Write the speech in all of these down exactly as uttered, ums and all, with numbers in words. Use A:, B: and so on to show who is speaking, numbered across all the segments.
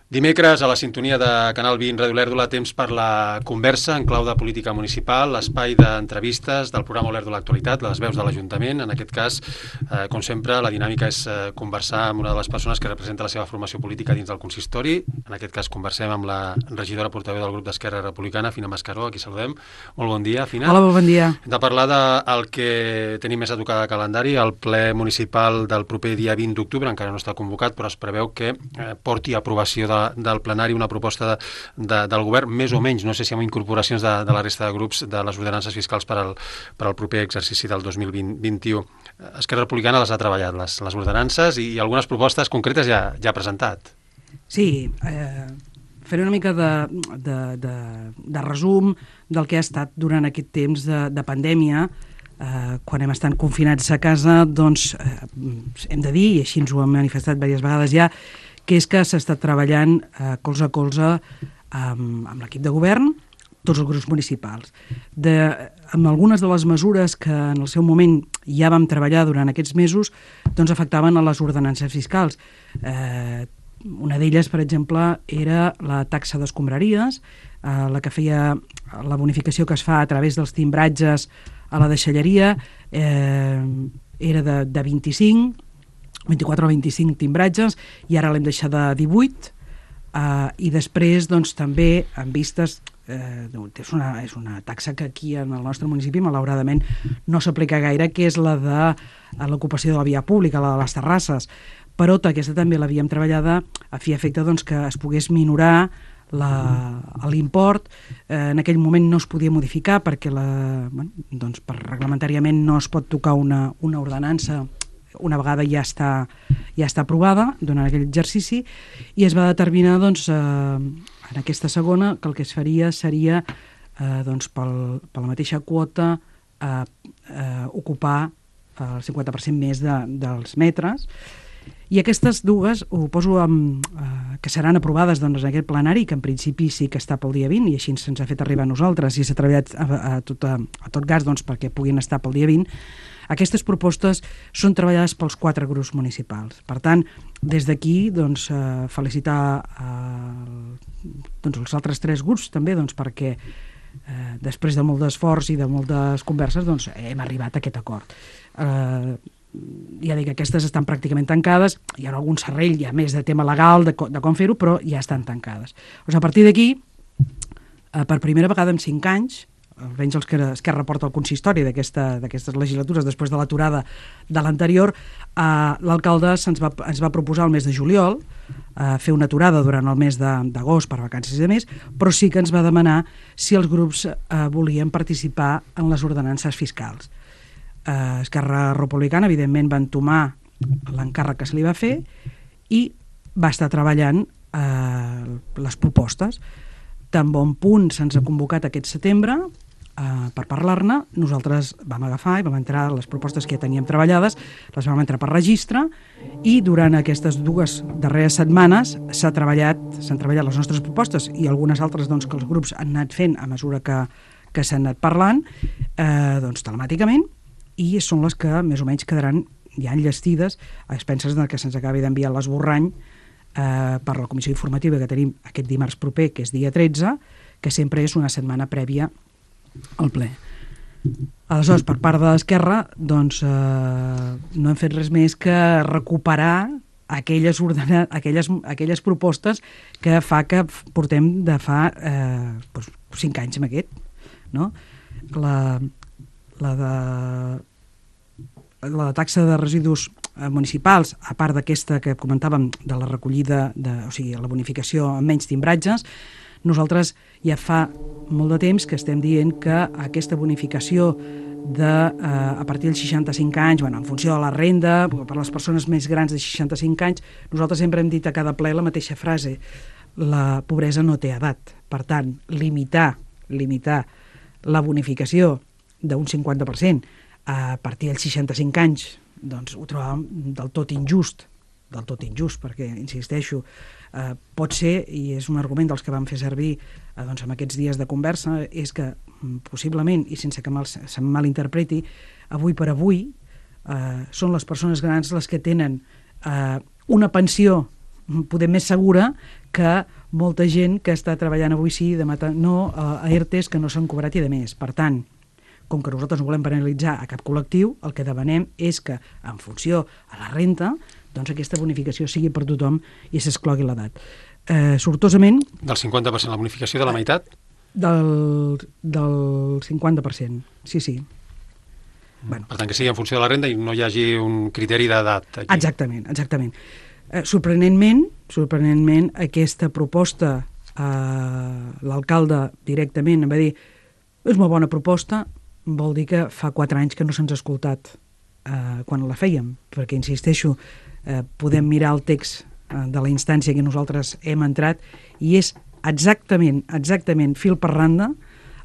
A: Dimecres, a la sintonia de Canal vint Ràdio Olèrdola, temps per la conversa en clau de política municipal, l'espai d'entrevistes del programa Olèrdola Actualitat, les veus de l'Ajuntament. En aquest cas, eh, com sempre, la dinàmica és eh, conversar amb una de les persones que representa la seva formació política dins del consistori. En aquest cas, conversem amb la regidora portaveu del grup d'Esquerra Republicana, Fina Mascaró, a qui saludem. Molt bon dia, Fina.
B: Hola, bon dia.
A: Hem de parlar del que tenim més a tocar de calendari, el ple municipal del proper dia vint d'octubre, encara no està convocat, però es preveu que eh, porti a aprovació de del plenari una proposta de, de, del govern, més o menys, no sé si amb incorporacions de, de la resta de grups, de les ordenances fiscals per al, per al proper exercici del dos mil vint-vint-u. Esquerra Republicana les ha treballat, les, les ordenances, i, i algunes propostes concretes ja, ja ha presentat.
B: Sí, eh, faré una mica de, de, de, de resum del que ha estat durant aquest temps de, de pandèmia. Eh, quan hem estat confinats a casa, doncs eh, hem de dir, i així ens ho hem manifestat diverses vegades ja, que és que s'ha estat treballant eh, colze a colze amb, amb l'equip de govern, tots els grups municipals. De, amb algunes de les mesures que en el seu moment ja vam treballar durant aquests mesos, doncs afectaven a les ordenances fiscals. Eh, una d'elles, per exemple, era la taxa d'escombraries, eh, la que feia la bonificació que es fa a través dels timbratges a la deixalleria, eh, era de, de vint-i-cinc, vint-i-quatre o vint-i-cinc timbratges, i ara l'hem deixat de divuit, eh, i després doncs, també en vistes, eh, és, una, és una taxa que aquí en el nostre municipi malauradament no s'aplica gaire, que és la de l'ocupació de la via pública, la de les terrasses, però aquesta també l'havíem treballada a fi i efecte doncs, que es pogués minorar l'import. Eh, en aquell moment no es podia modificar perquè la, bueno, doncs, per reglamentàriament no es pot tocar una, una ordenança una vegada ja està, ja està aprovada durant aquell exercici, i es va determinar doncs, eh, en aquesta segona que el que es faria seria eh, doncs, pel, per la mateixa quota eh, eh, ocupar el cinquanta per cent més de, dels metres. I aquestes dues ho poso amb, eh, que seran aprovades doncs, en aquest plenari, que en principi sí que està pel dia vint, i així se'ns ha fet arribar a nosaltres, i s'ha treballat a, a, tot, a, a tot gas doncs, perquè puguin estar pel dia vint. Aquestes propostes són treballades pels quatre grups municipals. Per tant, des d'aquí doncs, eh, felicitar eh, doncs, els altres tres grups també, doncs, perquè eh, després de molt d'esforç i de moltes converses doncs, hem arribat a aquest acord. Eh, ja dic que aquestes estan pràcticament tancades, hi ha algun serrell, hi ha més de tema legal de, de com fer-ho, però ja estan tancades. O sigui, a partir d'aquí, eh, per primera vegada en cinc anys, almenys els que Esquerra porta el consistori d'aquestes legislatures després de l'aturada de l'anterior, eh, l'alcalde ens va, ens va proposar el mes de juliol eh, fer una aturada durant el mes d'agost per vacances i de més, però sí que ens va demanar si els grups eh, volien participar en les ordenances fiscals. Eh, Esquerra Republicana, evidentment, va entomar l'encàrrec que se li va fer i va estar treballant eh, les propostes. Tan bon punt se'ns ha convocat aquest setembre eh, per parlar-ne, nosaltres vam agafar i vam entrar les propostes que ja teníem treballades, les vam entrar per registre, i durant aquestes dues darreres setmanes s'ha treballat, s'han treballat les nostres propostes i algunes altres doncs, que els grups han anat fent a mesura que, que s'han anat parlant, eh, doncs telemàticament, i són les que més o menys quedaran ja enllestides a expenses que se'ns acabi d'enviar l'esborrany eh, per la comissió informativa que tenim aquest dimarts proper, que és dia tretze, que sempre és una setmana prèvia al ple. Aleshores, per part de l'Esquerra, doncs, eh, no hem fet res més que recuperar aquelles, ordena, aquelles, aquelles propostes que fa que portem de fa eh, doncs, cinc anys amb aquest, no? La, la de la taxa de residus municipals, a part d'aquesta que comentàvem de la recollida, de, o sigui, la bonificació amb menys timbratges, nosaltres ja fa molt de temps que estem dient que aquesta bonificació de, eh, a partir dels seixanta-cinc anys, bueno, en funció de la renda, per les persones més grans de seixanta-cinc anys, nosaltres sempre hem dit a cada ple la mateixa frase: la pobresa no té edat. Per tant, limitar, limitar la bonificació d'un cinquanta per cent a partir dels seixanta-cinc anys, doncs ho trobàvem del tot injust, del tot injust, perquè, insisteixo, eh, pot ser, i és un argument dels que vam fer servir eh, doncs, en aquests dies de conversa, és que possiblement, i sense que mal, se malinterpreti, avui per avui eh, són les persones grans les que tenen eh, una pensió poder més segura que molta gent que està treballant avui sí, demà no, a E R T Es que no s'han cobrat i de més. Per tant, com que nosaltres no volem penalitzar a cap col·lectiu, el que demanem és que, en funció a la renta, doncs aquesta bonificació sigui per tothom i s'exclogui l'edat. Eh, sortosament...
A: Del cinquanta per cent, la bonificació de la meitat?
B: Del, del cinquanta per cent, sí, sí.
A: Bueno. Per tant, que sigui en funció de la renda i no hi hagi un criteri d'edat. Aquí.
B: Exactament, exactament. Eh, sorprenentment, sorprenentment, aquesta proposta, eh, l'alcalde directament em va dir és una bona proposta, vol dir que fa quatre anys que no se'ns ha escoltat eh, quan la fèiem, perquè, insisteixo, eh, podem mirar el text eh, de la instància que nosaltres hem entrat i és exactament, exactament, fil per randa,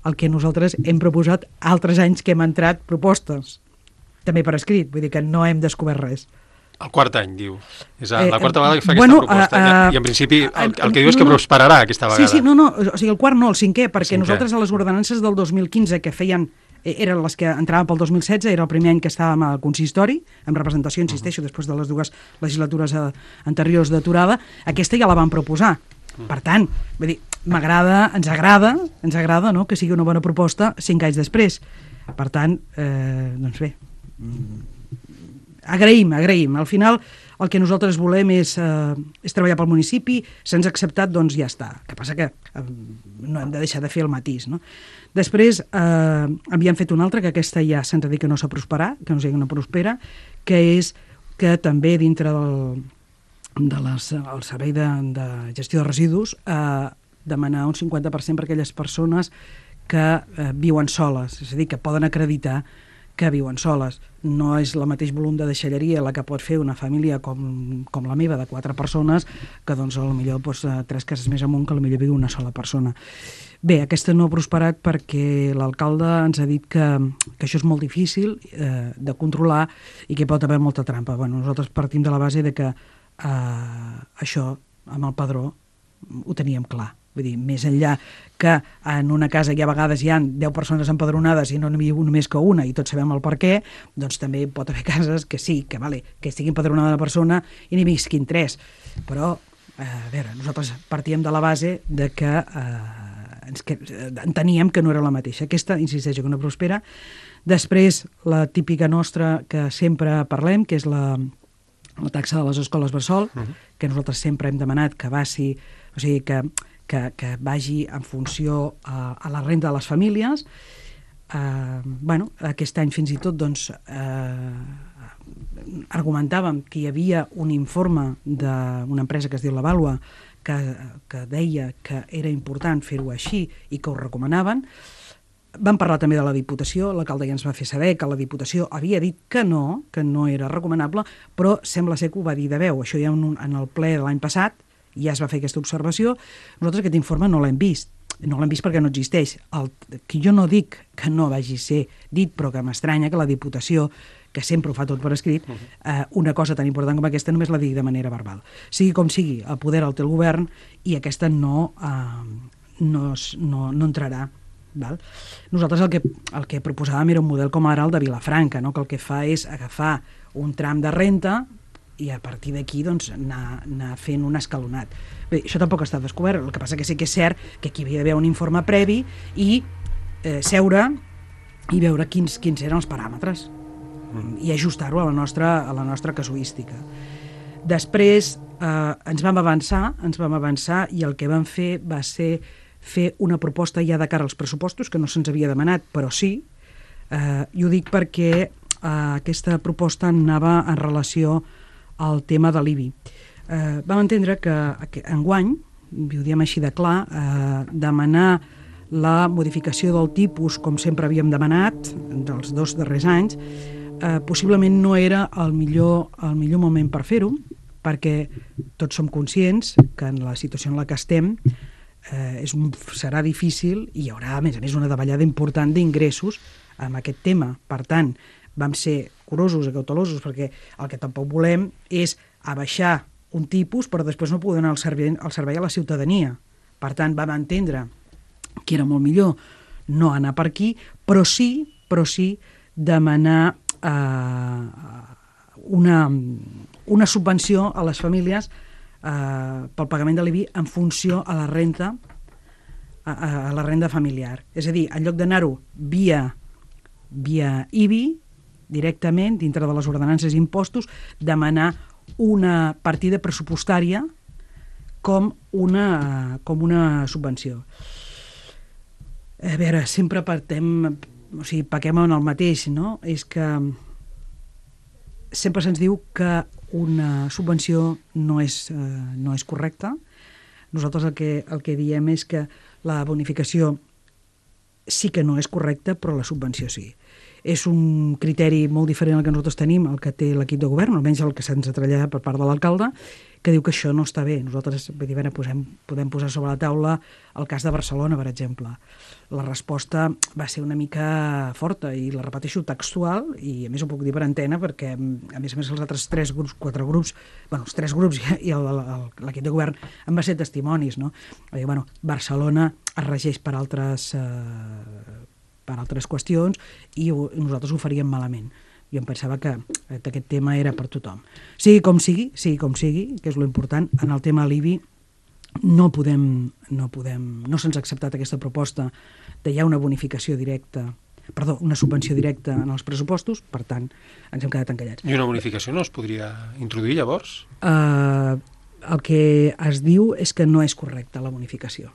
B: el que nosaltres hem proposat altres anys que hem entrat propostes, també per escrit, vull dir que no hem descobert res.
A: El quart any, diu. És la
B: Eh,
A: quarta vegada que fa
B: bueno,
A: aquesta proposta.
B: uh, uh,
A: I en principi el, el que
B: uh,
A: diu és que
B: no,
A: prosperarà aquesta vegada.
B: Sí, sí, no, no, o sigui, el quart no, el cinquè, perquè
A: cinquè.
B: Nosaltres a les ordenances del dos mil quinze que feien, eh, eren les que entraven pel dos mil setze, era el primer any que estàvem al consistori, en representació, insisteixo, uh -huh. després de les dues legislatures eh, anteriors d'aturada, aquesta ja la van proposar. Uh -huh. Per tant, vull dir, m'agrada, ens agrada, ens agrada, no?, que sigui una bona proposta cinc anys després. Per tant, eh, doncs bé, agraïm, agraïm. Al final, el que nosaltres volem és, eh, és treballar pel municipi, se'ns ha acceptat, doncs ja està. El que passa que eh, no hem de deixar de fer el matís, no? Després, eh, havíem fet una altra, que aquesta ja se'ns ha dit que no s'ha prosperat, que no sigui una prospera, que és que també dintre del, de les, el servei de, de gestió de residus eh, demanar un cinquanta per cent per aquelles persones que eh, viuen soles, és a dir, que poden acreditar que viuen soles. No és el mateix volum de deixalleria la que pot fer una família com, com la meva, de quatre persones, que doncs potser doncs, tres cases més amunt que potser viu una sola persona. Bé, aquesta no ha prosperat perquè l'alcalde ens ha dit que, que això és molt difícil eh, de controlar i que pot haver molta trampa. Bueno, nosaltres partim de la base de que eh, això, amb el padró, ho teníem clar. Vull dir, més enllà que en una casa hi ha vegades hi ha deu persones empadronades i no n'hi viu només que una i tots sabem el per què, doncs també pot haver cases que sí, que, vale, que estigui empadronada una persona i n'hi visquin tres. Però, eh, a veure, nosaltres partíem de la base de que eh, ens que, enteníem que no era la mateixa. Aquesta, insisteixo, que no prospera. Després, la típica nostra que sempre parlem, que és la, la taxa de les escoles bressol, uh-huh. que nosaltres sempre hem demanat que vagi, o sigui, que Que, que vagi en funció a, a la renda de les famílies. Eh, bueno, aquest any fins i tot doncs, eh, argumentàvem que hi havia un informe d'una empresa que es diu La Vàlua que, que deia que era important fer-ho així i que ho recomanaven. Vam parlar també de la Diputació, l'alcalde ja ens va fer saber que la Diputació havia dit que no, que no era recomanable, però sembla ser que ho va dir de veu. Això ja en, en el ple de l'any passat, ja es va fer aquesta observació. Nosaltres aquest informe no l'hem vist. No l'hem vist perquè no existeix. El, que jo no dic que no vagi ser dit, però que m'estranya que la Diputació, que sempre ho fa tot per escrit, eh, una cosa tan important com aquesta només la digui de manera verbal. Sigui com sigui, el poder el té el govern i aquesta no, eh, no, no, no entrarà. Val? Nosaltres el que, el que proposàvem era un model com ara el de Vilafranca, no? Que el que fa és agafar un tram de renta i a partir d'aquí doncs, anar, anar fent un escalonat. Bé, això tampoc està descobert, el que passa que sí que és cert que aquí havia d'haver un informe previ i eh, seure i veure quins, quins eren els paràmetres i ajustar-ho a la nostra, a la nostra casuística. Després eh, ens vam avançar, ens vam avançar i el que vam fer va ser fer una proposta ja de cara als pressupostos, que no se'ns havia demanat, però sí, eh, i ho dic perquè eh, aquesta proposta anava en relació al tema de l'I B I. Eh, vam entendre que, que enguany, ho diem així de clar, eh, demanar la modificació del tipus, com sempre havíem demanat, dels dos darrers anys, eh, possiblement no era el millor, el millor moment per fer-ho, perquè tots som conscients que en la situació en la que estem eh, és un, serà difícil i hi haurà, a més a més, una davallada important d'ingressos amb aquest tema. Per tant, vam ser curosos i cautelosos perquè el que tampoc volem és abaixar un tipus però després no poder donar el servei, el servei a la ciutadania. Per tant, vam entendre que era molt millor no anar per aquí, però sí, però sí demanar eh, una, una subvenció a les famílies eh, pel pagament de l'I B I en funció a la renta a, a la renda familiar. És a dir, en lloc d'anar-ho via, via I B I, directament, dintre de les ordenances i impostos, demanar una partida pressupostària com una, com una subvenció. A veure, sempre partem, o sigui, paquem en el mateix, no? És que sempre se'ns diu que una subvenció no és, eh, no és correcta. Nosaltres el que, el que diem és que la bonificació sí que no és correcta, però la subvenció sí. És un criteri molt diferent al que nosaltres tenim, el que té l'equip de govern, almenys el que se'ns ha traslladat per part de l'alcalde, que diu que això no està bé. Nosaltres vull dir, bueno, posem, podem posar sobre la taula el cas de Barcelona, per exemple. La resposta va ser una mica forta i la repeteixo textual, i a més ho puc dir per antena perquè a més a més els altres tres grups, quatre grups, bueno, els tres grups i l'equip de govern en va ser testimonis, no? Dir, bueno, Barcelona es regeix per altres, eh, per altres qüestions i ho, nosaltres ho faríem malament. Jo em pensava que aquest tema era per tothom. Sigui com sigui, sigui com sigui, que és lo important, en el tema de l'I B I no podem, no podem, no se'ns ha acceptat aquesta proposta de hi ha una bonificació directa, perdó, una subvenció directa en els pressupostos, per tant, ens hem quedat encallats.
A: I una bonificació no es podria introduir llavors?
B: Uh, el que es diu és que no és correcta la bonificació.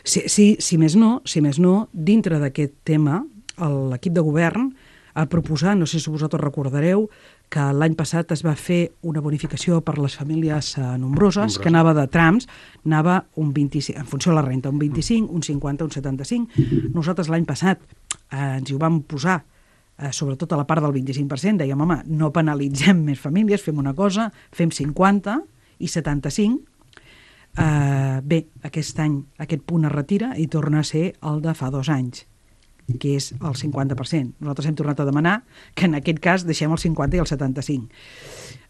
B: Si, si, si més no, si més no, dintre d'aquest tema, l'equip de govern ha proposat, no sé si vosaltres recordareu, que l'any passat es va fer una bonificació per les famílies eh, nombroses, Nombrosa. que anava de trams, anava un vint-i-cinc, en funció de la renta, un vint-i-cinc, un cinquanta, un setanta-cinc. Nosaltres l'any passat eh, ens hi ho vam posar, eh, sobretot a la part del vint-i-cinc per cent, dèiem, home, no penalitzem més famílies, fem una cosa, fem cinquanta i setanta-cinc. Eh, bé, aquest any aquest punt es retira i torna a ser el de fa dos anys, que és el cinquanta per cent. Nosaltres hem tornat a demanar que en aquest cas deixem el cinquanta i el setanta-cinc.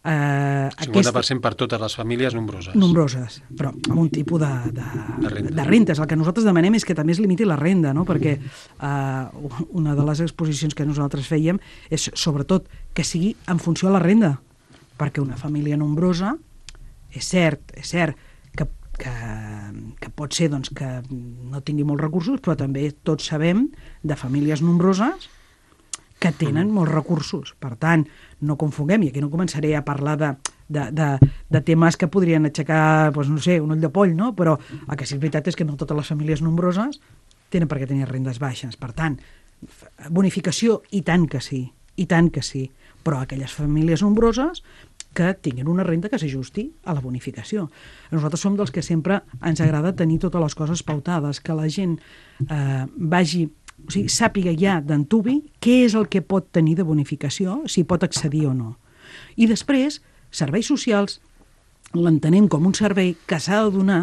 B: Uh,
A: cinquanta per cent aquest... per totes les famílies nombroses.
B: Nombroses, però amb un tipus de, de, de, renta. de rentes. El que nosaltres demanem és que també es limiti la renda, no? Perquè uh, una de les exposicions que nosaltres fèiem és sobretot que sigui en funció de la renda, perquè una família nombrosa, és cert, és cert, que Que, que pot ser doncs, que no tingui molts recursos, però també tots sabem de famílies nombroses que tenen molts recursos. Per tant, no confonguem, i aquí no començaré a parlar de, de, de, de temes que podrien aixecar, doncs, no sé, un ull de poll, no? Però el que sí és veritat és que no totes les famílies nombroses tenen per què tenir rendes baixes. Per tant, bonificació, i tant que sí, i tant que sí, però aquelles famílies nombroses que tinguin una renda que s'ajusti a la bonificació. Nosaltres som dels que sempre ens agrada tenir totes les coses pautades, que la gent eh, vagi, o sigui, sàpiga ja d'antuvi què és el que pot tenir de bonificació, si pot accedir o no. I després, serveis socials l'entenem com un servei que s'ha de donar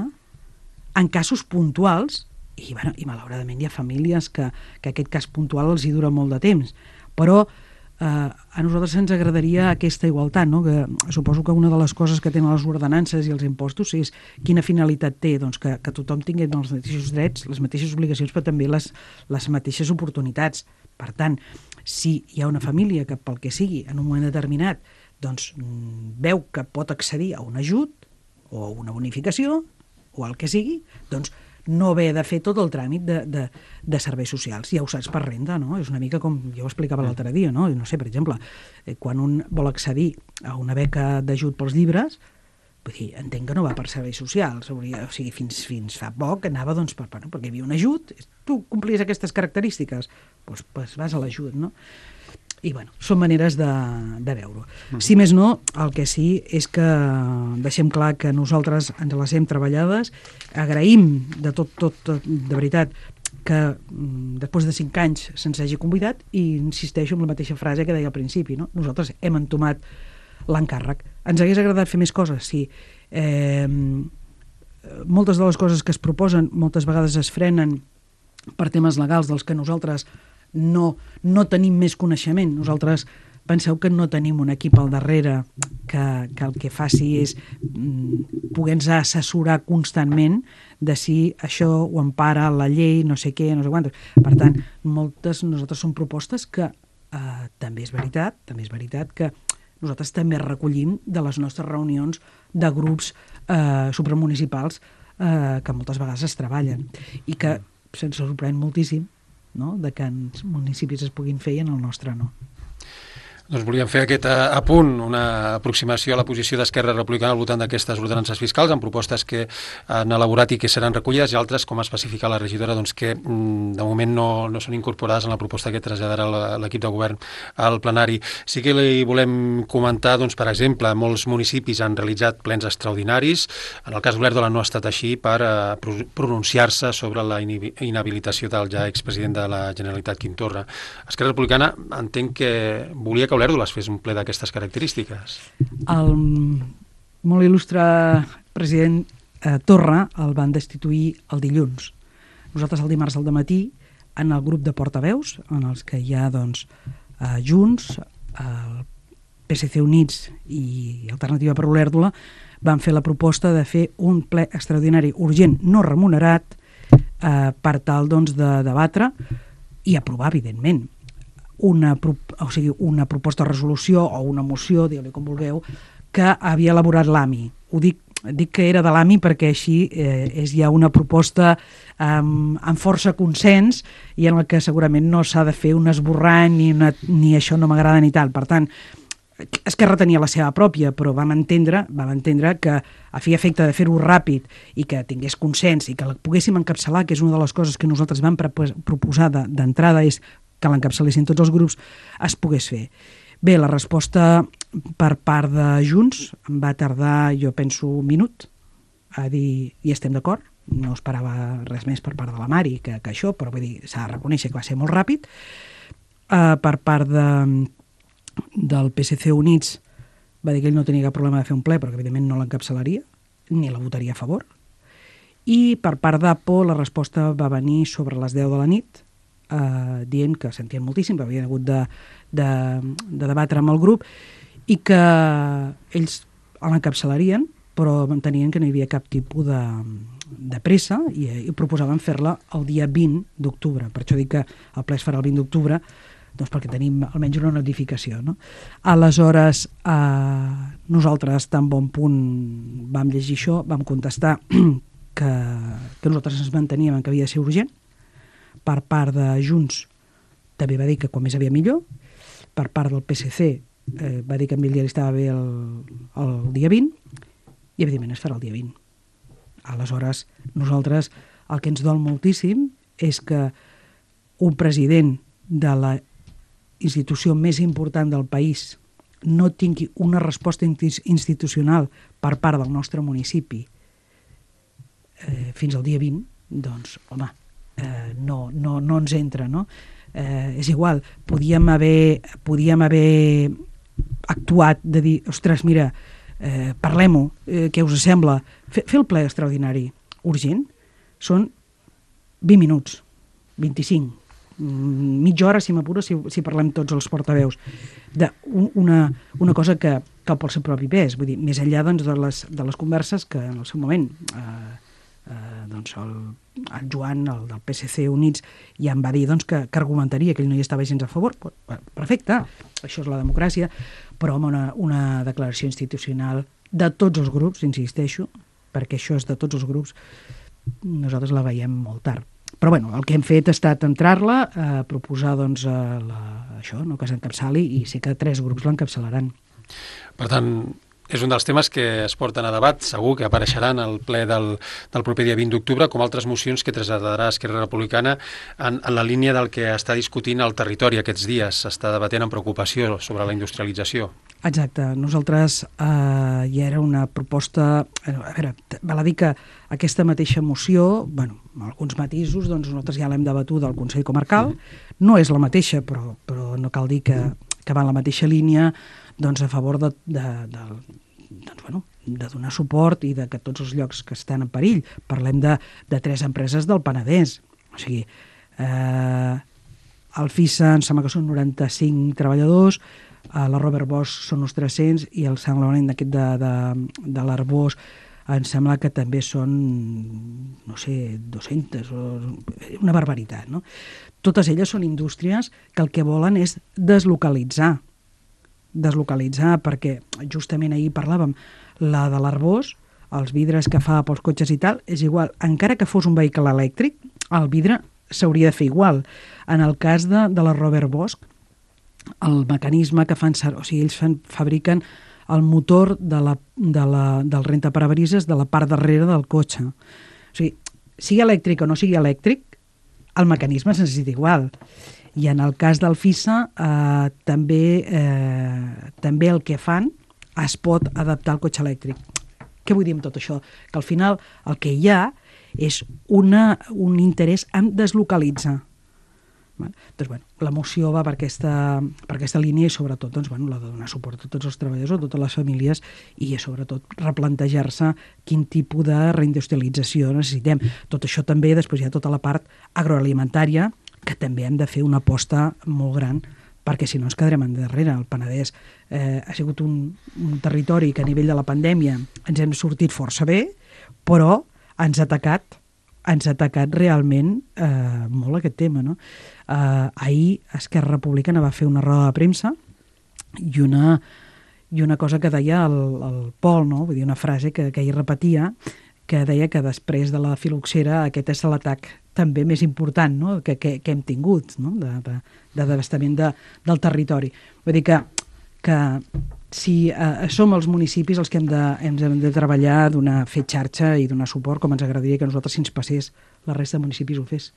B: en casos puntuals, i, bueno, i malauradament hi ha famílies que, que aquest cas puntual els hi dura molt de temps, però Uh, a nosaltres ens agradaria aquesta igualtat, no? Que suposo que una de les coses que tenen les ordenances i els impostos és quina finalitat té, doncs que, que tothom tingui els mateixos drets, les mateixes obligacions, però també les, les mateixes oportunitats. Per tant, si hi ha una família que pel que sigui en un moment determinat doncs, veu que pot accedir a un ajut o a una bonificació o el que sigui, doncs no haver de fer tot el tràmit de, de, de serveis socials. Ja ho saps per renda, no? És una mica com jo ho explicava l'altre dia, no? No sé, per exemple, eh, quan un vol accedir a una beca d'ajut pels llibres, vull dir, entenc que no va per serveis socials, o sigui, fins, fins fa poc anava doncs, per, per, perquè hi havia un ajut, tu complies aquestes característiques, doncs, doncs vas a l'ajut, no? I, bueno, són maneres de, de veure-ho. Mm. Si més no, el que sí és que deixem clar que nosaltres ens les hem treballades, agraïm de tot, tot, tot de veritat, que mm, després de cinc anys se'ns hagi convidat, i insisteixo en la mateixa frase que deia al principi, no? Nosaltres hem entomat l'encàrrec. Ens hagués agradat fer més coses, sí. Eh, moltes de les coses que es proposen moltes vegades es frenen per temes legals dels que nosaltres no, no tenim més coneixement. Nosaltres penseu que no tenim un equip al darrere que, que el que faci és mm, poder-nos assessorar constantment de si això ho empara la llei, no sé què, no sé quantes. Per tant, moltes nosaltres són propostes que eh, també és veritat, també és veritat que nosaltres també recollim de les nostres reunions de grups eh, supramunicipals eh, que moltes vegades es treballen i que se'ns sorprèn moltíssim, no?, de que en municipis es puguin fer i en el nostre no.
A: Doncs volíem fer aquest apunt, una aproximació a la posició d'Esquerra Republicana al voltant d'aquestes ordenances fiscals, amb propostes que han elaborat i que seran recollides, i altres, com especifica la regidora, doncs que de moment no, no són incorporades en la proposta que traslladarà l'equip de govern al plenari. Sí que li volem comentar, doncs, per exemple, molts municipis han realitzat plens extraordinaris. En el cas d'Olèrdola no ha estat així per uh, pronunciar-se sobre la inhabilitació del ja expresident de la Generalitat, Quim Torra. Esquerra Republicana entenc que volia que Olèrdola es fes un ple d'aquestes característiques.
B: El molt il·lustre president eh, Torra el van destituir el dilluns. Nosaltres el dimarts al dematí, en el grup de portaveus, en els que hi ha doncs, eh, Junts, el P S C Units i Alternativa per Olèrdola, van fer la proposta de fer un ple extraordinari urgent no remunerat eh, per tal doncs, de debatre i aprovar, evidentment, una, o sigui, una proposta de resolució o una moció, digueu-li com vulgueu, que havia elaborat l'A M I. Ho dic, dic que era de l'A M I perquè així eh, és ja una proposta amb, amb força consens i en la que segurament no s'ha de fer un esborrany ni, una, ni això no m'agrada ni tal. Per tant, Esquerra tenia la seva pròpia, però vam entendre, vam entendre que a fi i efecte de fer-ho ràpid i que tingués consens i que la poguéssim encapçalar, que és una de les coses que nosaltres vam proposar d'entrada, és que l'encapçalessin tots els grups, es pogués fer. Bé, la resposta per part de Junts va tardar, jo penso, un minut a dir, i estem d'acord, no esperava res més per part de la Mari que, que això, però vull dir, s'ha de reconèixer que va ser molt ràpid. Uh, per part de, del P S C Units va dir que ell no tenia cap problema de fer un ple, però que evidentment no l'encapçalaria, ni la votaria a favor. I per part d'A P O la resposta va venir sobre les deu de la nit, Uh, dient que sentien moltíssim, que havien hagut de, de, de debatre amb el grup i que ells l'encapçalarien, però entenien que no hi havia cap tipus de, de pressa i, i proposaven fer-la el dia vint d'octubre. Per això dic que el ple es farà el vint d'octubre, doncs perquè tenim almenys una notificació, no? Aleshores, uh, nosaltres tan bon punt vam llegir això, vam contestar que, que nosaltres ens manteníem que havia de ser urgent. Per part de Junts també va dir que quan més havia millor. Per part del P S C eh, va dir que a ell li estava bé el, el dia vint i evidentment es farà el dia vint. Aleshores, nosaltres el que ens dol moltíssim és que un president de la institució més important del país no tingui una resposta institucional per part del nostre municipi eh, fins al dia vint, doncs, home, Eh, no, no, no ens entra, no? Eh, és igual, podíem haver, podíem haver actuat de dir, ostres, mira, eh, parlem-ho, eh, què us sembla? Fer, fer el ple extraordinari urgent són vint minuts, vint-i-cinc, mitja hora, si m'apuro, si, si parlem tots els portaveus, d'una una cosa que cal pel seu propi pes, vull dir, més enllà doncs, de, les, de les converses que en el seu moment eh, eh, doncs el, el Joan, el del P S C Units, ja em va dir doncs, que, que argumentaria que ell no hi estava gens a favor. Perfecte, això és la democràcia, però home, una, una declaració institucional de tots els grups, insisteixo, perquè això és de tots els grups, nosaltres la veiem molt tard. Però bueno, el que hem fet ha estat entrar-la, eh, proposar doncs, eh, la, això, no, que s'encapçali, i sé que tres grups l'encapçalaran.
A: Per tant, és un dels temes que es porten a debat, segur que apareixeran al ple del, del proper dia vint d'octubre, com altres mocions que traslladarà Esquerra Republicana en, en la línia del que està discutint el territori aquests dies. S'està debatent amb preocupació sobre la industrialització.
B: Exacte. Nosaltres eh, ja era una proposta... A veure, val a dir que aquesta mateixa moció, bueno, amb alguns matisos, doncs nosaltres ja l'hem debatut al Consell Comarcal. No és la mateixa, però, però no cal dir que, que va en la mateixa línia, doncs a favor de, de, de, doncs, bueno, de donar suport i de que tots els llocs que estan en perill. Parlem de, de tres empreses del Penedès. O sigui, eh, el FISA em sembla que són noranta-cinc treballadors, eh, la Robert Bosch són uns tres-cents i el Sant Laurent d'aquest de, de, de l'Arbós em sembla que també són, no sé, dues-centes, una barbaritat, no? Totes elles són indústries que el que volen és deslocalitzar deslocalitzar, perquè justament ahir parlàvem, la de l'Arbós, els vidres que fa pels cotxes i tal, és igual. Encara que fos un vehicle elèctric, el vidre s'hauria de fer igual. En el cas de, de la Robert Bosch, el mecanisme que fan, o sigui, ells fan, fabriquen el motor de la, de la, del rentaparabrisas de la part darrere del cotxe. O sigui, sigui elèctric o no sigui elèctric, el mecanisme es necessita igual. I en el cas del FISA, eh, també, eh, també el que fan es pot adaptar al cotxe elèctric. Què vull dir amb tot això? Que al final el que hi ha és una, un interès en deslocalitzar. Doncs, bueno, la moció va per aquesta, per aquesta línia i sobretot doncs, bueno, la de donar suport a tots els treballadors, a totes les famílies i sobretot replantejar-se quin tipus de reindustrialització necessitem. Tot això també, després hi ha tota la part agroalimentària, que també hem de fer una aposta molt gran perquè si no ens quedarem endarrere. El Penedès eh, ha sigut un, un territori que a nivell de la pandèmia ens hem sortit força bé, però ens ha atacat ens ha atacat realment eh, molt aquest tema, no? Eh, ahir Esquerra Republicana va fer una roda de premsa i una, i una cosa que deia el, el Pol, no? Vull dir, una frase que, que ell repetia, que deia que després de la filoxera aquest és l'atac també més important, no? que, que, que hem tingut, no? de, de, de devastament de, del territori. Vull dir que, que si eh, som els municipis els que hem de, hem de treballar, donar, fer xarxa i donar suport, com ens agradaria que nosaltres, si ens passés, la resta de municipis ho fes.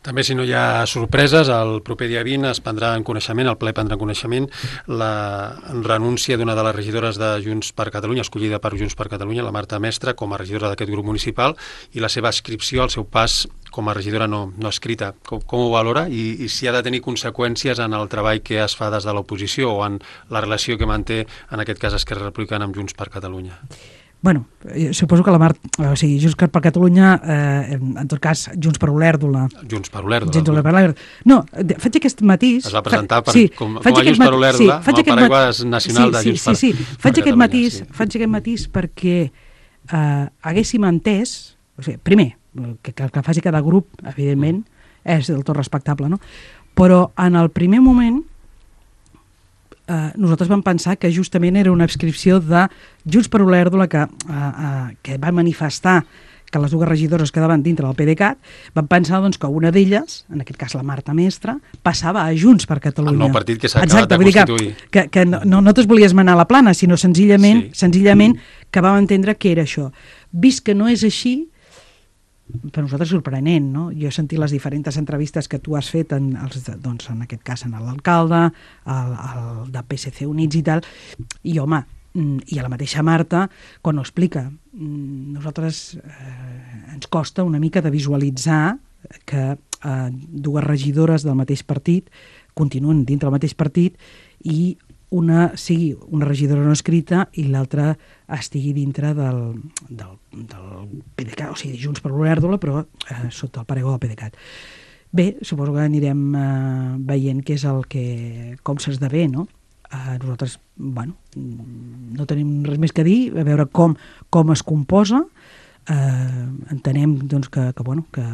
A: També, si no hi ha sorpreses, el proper dia vint es prendrà en coneixement, el ple prendrà en coneixement, la renúncia d'una de les regidores de Junts per Catalunya, escollida per Junts per Catalunya, la Marta Mestre, com a regidora d'aquest grup municipal, i la seva adscripció al seu pas com a regidora no, no escrita. Com, com ho valora? I, I si ha de tenir conseqüències en el treball que es fa des de l'oposició o en la relació que manté, en aquest cas, Esquerra Republicana amb Junts per Catalunya?
B: Bueno, suposo que la Mar... O sigui, Junts per Catalunya, eh, en tot cas, Junts per Olèrdola...
A: Junts per Olèrdola.
B: Junts per Olèrdola. No, faig aquest matís...
A: Es va presentar per,
B: sí,
A: com, com a Junts per Olèrdola, sí, amb el paraigua nacional
B: sí,
A: de Junts
B: sí,
A: per,
B: sí, sí.
A: per
B: faig aquest matís,
A: sí.
B: Faig aquest matís perquè eh, haguéssim entès... O sigui, primer, que, que, que faci cada grup, evidentment, és del tot respectable, no? Però en el primer moment... Uh, nosaltres vam pensar que justament era una adscripció de Junts per Olèrdola que, uh, uh, que va manifestar que les dues regidores quedaven dintre del PDeCAT, van pensar doncs, que una d'elles, en aquest cas la Marta Mestre, passava a Junts per Catalunya.
A: El nou partit que s'ha acabat de constituir.
B: Que, que no, no, no te'ls volies manar a la plana, sinó senzillament, sí. senzillament que vam entendre que era això. Vist que no és així, per nosaltres sorprenent, no? Jo he sentit les diferents entrevistes que tu has fet, en, els, doncs, en aquest cas en l'alcalde, el, el de P S C Units i tal, i home, i a la mateixa Marta, quan ho explica, nosaltres eh, ens costa una mica de visualitzar que eh, dues regidores del mateix partit continuen dintre del mateix partit i una sigui una regidora no escrita i l'altra estigui dintre del, del, del PDeCAT, o sigui, Junts per Olèrdola, però eh, sota el paraigua del PDeCAT. Bé, suposo que anirem eh, veient què és el que, com s'esdevé, no? Eh, nosaltres, bueno, no tenim res més que dir, a veure com, com es composa, eh, entenem doncs, que, que, bueno, que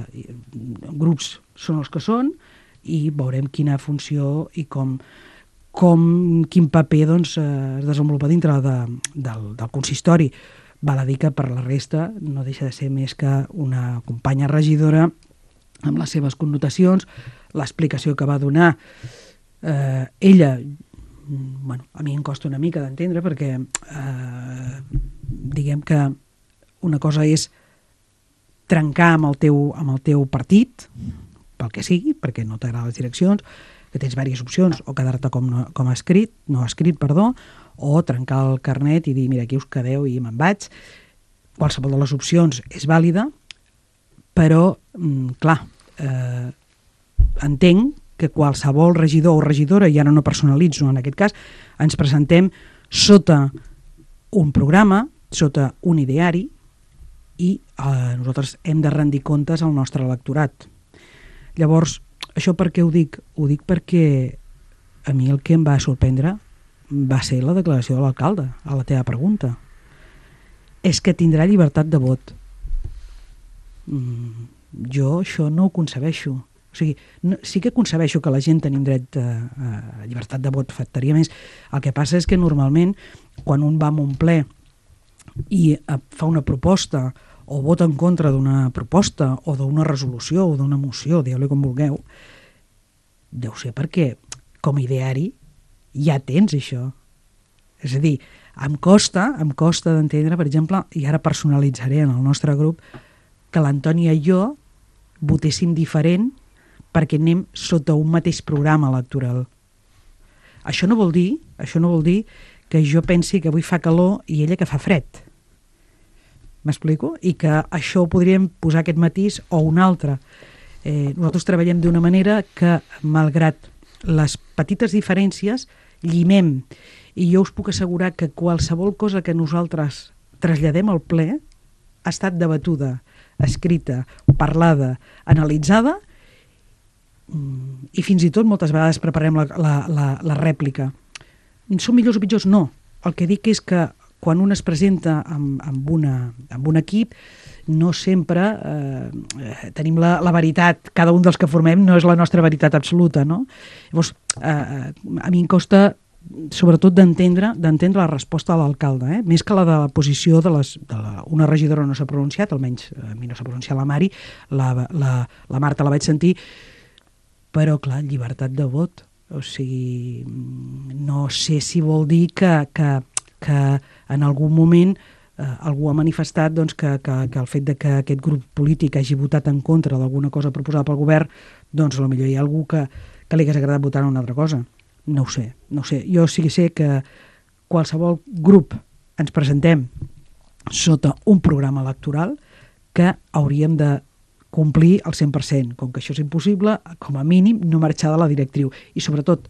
B: grups són els que són i veurem quina funció i com com quin paper doncs, es desenvolupa dintre de, del, del consistori. Val a dir que per la resta no deixa de ser més que una companya regidora amb les seves connotacions, l'explicació que va donar eh, ella, bueno, a mi em costa una mica d'entendre perquè eh, diguem que una cosa és trencar amb el teu, amb el teu partit, pel que sigui, perquè no t'agraden les direccions, que tens diverses opcions, o quedar-te com, no, com escrit, no escrit, perdó, o trencar el carnet i dir, mira, aquí us quedeu i me'n vaig. Qualsevol de les opcions és vàlida, però, mm, clar, eh, entenc que qualsevol regidor o regidora, i ara no personalitzo en aquest cas, ens presentem sota un programa, sota un ideari, i eh, nosaltres hem de rendir comptes al nostre electorat. Llavors, això per què ho dic? Ho dic perquè a mi el que em va sorprendre va ser la declaració de l'alcalde, a la teva pregunta. És que tindrà llibertat de vot. Mm, jo això no ho concebeixo. O sigui, no, sí que concebeixo que la gent tenim dret a, a llibertat de vot, faltaria més. El que passa és que normalment, quan un va a un ple i fa una proposta o vota en contra d'una proposta o d'una resolució o d'una moció, dieu-li com vulgueu, deu ser perquè com a ideari ja tens això. És a dir, em costa, em costa d'entendre, per exemple, i ara personalitzaré en el nostre grup, que l'Antònia i jo votéssim diferent perquè anem sota un mateix programa electoral. Això no vol dir, això no vol dir que jo pensi que avui fa calor i ella que fa fred. M'explico? I que això ho podríem posar aquest matís o un altre. Eh, nosaltres treballem d'una manera que, malgrat les petites diferències, llimem. I jo us puc assegurar que qualsevol cosa que nosaltres traslladem al ple ha estat debatuda, escrita, parlada, analitzada, i fins i tot moltes vegades preparem la, la, la, la rèplica. Són millors o pitjors? No. El que dic és que quan un es presenta amb, amb, una, amb un equip, no sempre eh, tenim la, la veritat, cada un dels que formem no és la nostra veritat absoluta, no? Llavors, eh, a mi em costa sobretot d'entendre d'entendre la resposta de l'alcalde, eh? Més que la de la posició de, les, de la, una regidora no s'ha pronunciat, almenys a mi no s'ha pronunciat la Mari, la, la, la Marta la vaig sentir, però clar, llibertat de vot, o sigui, no sé si vol dir que, que, que en algun moment eh, algú ha manifestat doncs, que, que, que el fet de que aquest grup polític hagi votat en contra d'alguna cosa proposada pel govern, doncs potser hi ha algú que, que li hagués agradat votar una altra cosa. No ho sé, no ho sé. Jo sí que sé que qualsevol grup ens presentem sota un programa electoral que hauríem de complir al cent per cent. Com que això és impossible, com a mínim no marxar de la directriu. I sobretot,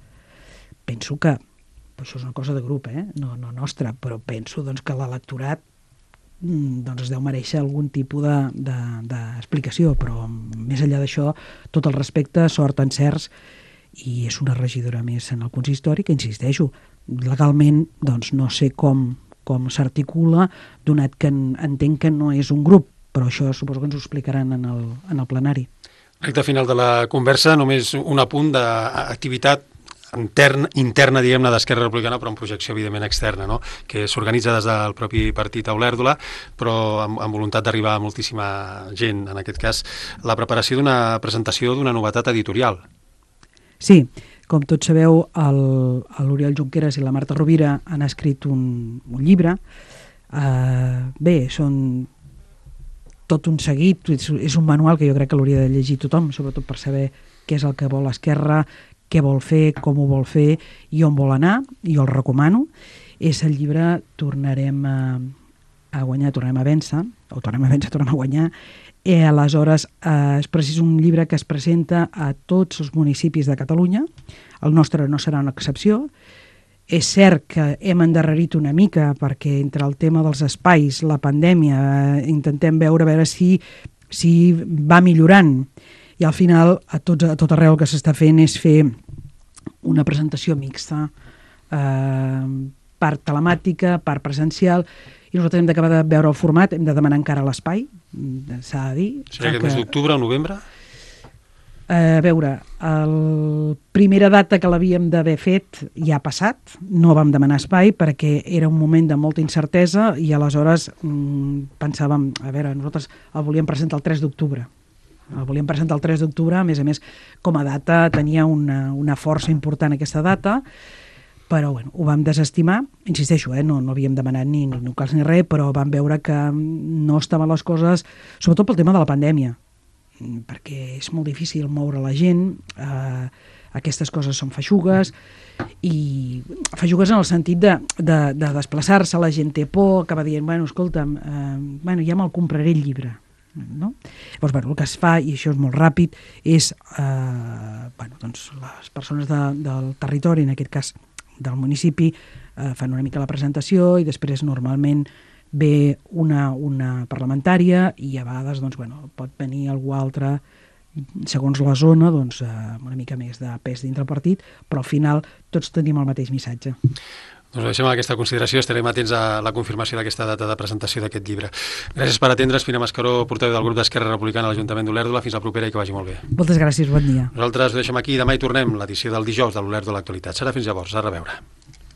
B: penso que, això és una cosa de grup, eh? no, no nostra, però penso doncs, que l'electorat doncs, es deu mereixer algun tipus d'explicació, de, de, però més enllà d'això, tot el respecte, sort, encerts, i és una regidora més en el consistori que, insisteixo, legalment doncs no sé com, com s'articula, donat que en, entenc que no és un grup, però això suposo que ens ho explicaran en el, en el plenari.
A: Recte final de la conversa, només un apunt d'activitat interna, interna diguem-ne, d'Esquerra Republicana, però amb projecció, evidentment, externa, no? Que s'organitza des del propi partit a Olèrdola, però amb, amb voluntat d'arribar a moltíssima gent, en aquest cas, la preparació d'una presentació d'una novetat editorial.
B: Sí, com tots sabeu, l'Oriol Junqueras i la Marta Rovira han escrit un, un llibre. Uh, bé, són tot un seguit, és, és un manual que jo crec que l'hauria de llegir tothom, sobretot per saber què és el que vol l'Esquerra, què vol fer, com ho vol fer i on vol anar, i jo el recomano. És el llibre Tornarem a, a guanyar, tornarem a vèncer, o tornem a vèncer, tornem a guanyar. I aleshores eh, és precis un llibre que es presenta a tots els municipis de Catalunya. El nostre no serà una excepció. És cert que hem endarrerit una mica perquè entre el tema dels espais, la pandèmia, eh, intentem veure, veure si, si va millorant. I al final a, tots, a tot arreu el que s'està fent és fer una presentació mixta, eh, part telemàtica, part presencial, i nosaltres hem d'acabar de veure el format, hem de demanar encara l'espai, s'ha de dir.
A: Serà aquest mes d'octubre o novembre?
B: A veure, la primera data que l'havíem d'haver fet ja ha passat, no vam demanar espai perquè era un moment de molta incertesa i aleshores mmm, pensàvem, a veure, nosaltres el volíem presentar el tres d'octubre. El volíem presentar el tres d'octubre, a més a més, com a data tenia una, una força important aquesta data, però bueno, ho vam desestimar, insisteixo, eh, no, no havíem demanat ni, ni locals ni res, però vam veure que no estaven les coses, sobretot pel tema de la pandèmia, perquè és molt difícil moure la gent, eh, aquestes coses són feixugues, i feixugues en el sentit de, de, de desplaçar-se, la gent té por, acaba dient, bueno, escolta'm, eh, bueno, ja me'l compraré el llibre, no? Llavors, bueno, el que es fa, i això és molt ràpid, és eh, bueno, doncs, les persones de, del territori, en aquest cas del municipi, eh, fan una mica la presentació i després normalment ve una, una parlamentària i a vegades doncs, bueno, pot venir algú altre segons la zona, doncs, eh, una mica més de pes dintre el partit, però al final tots tenim el mateix missatge.
A: Doncs deixem aquesta consideració, estarem atents a la confirmació d'aquesta data de presentació d'aquest llibre. Gràcies per atendre's, Pina Mascaró, portaveu del grup d'Esquerra Republicana a l'Ajuntament d'Olèrdola. Fins la propera i que vagi molt bé.
B: Moltes gràcies, bon dia.
A: Nosaltres ho deixem aquí, demà hi tornem, l'edició del dijous de l'Olèrdola Actualitat. Serà fins llavors, a reveure.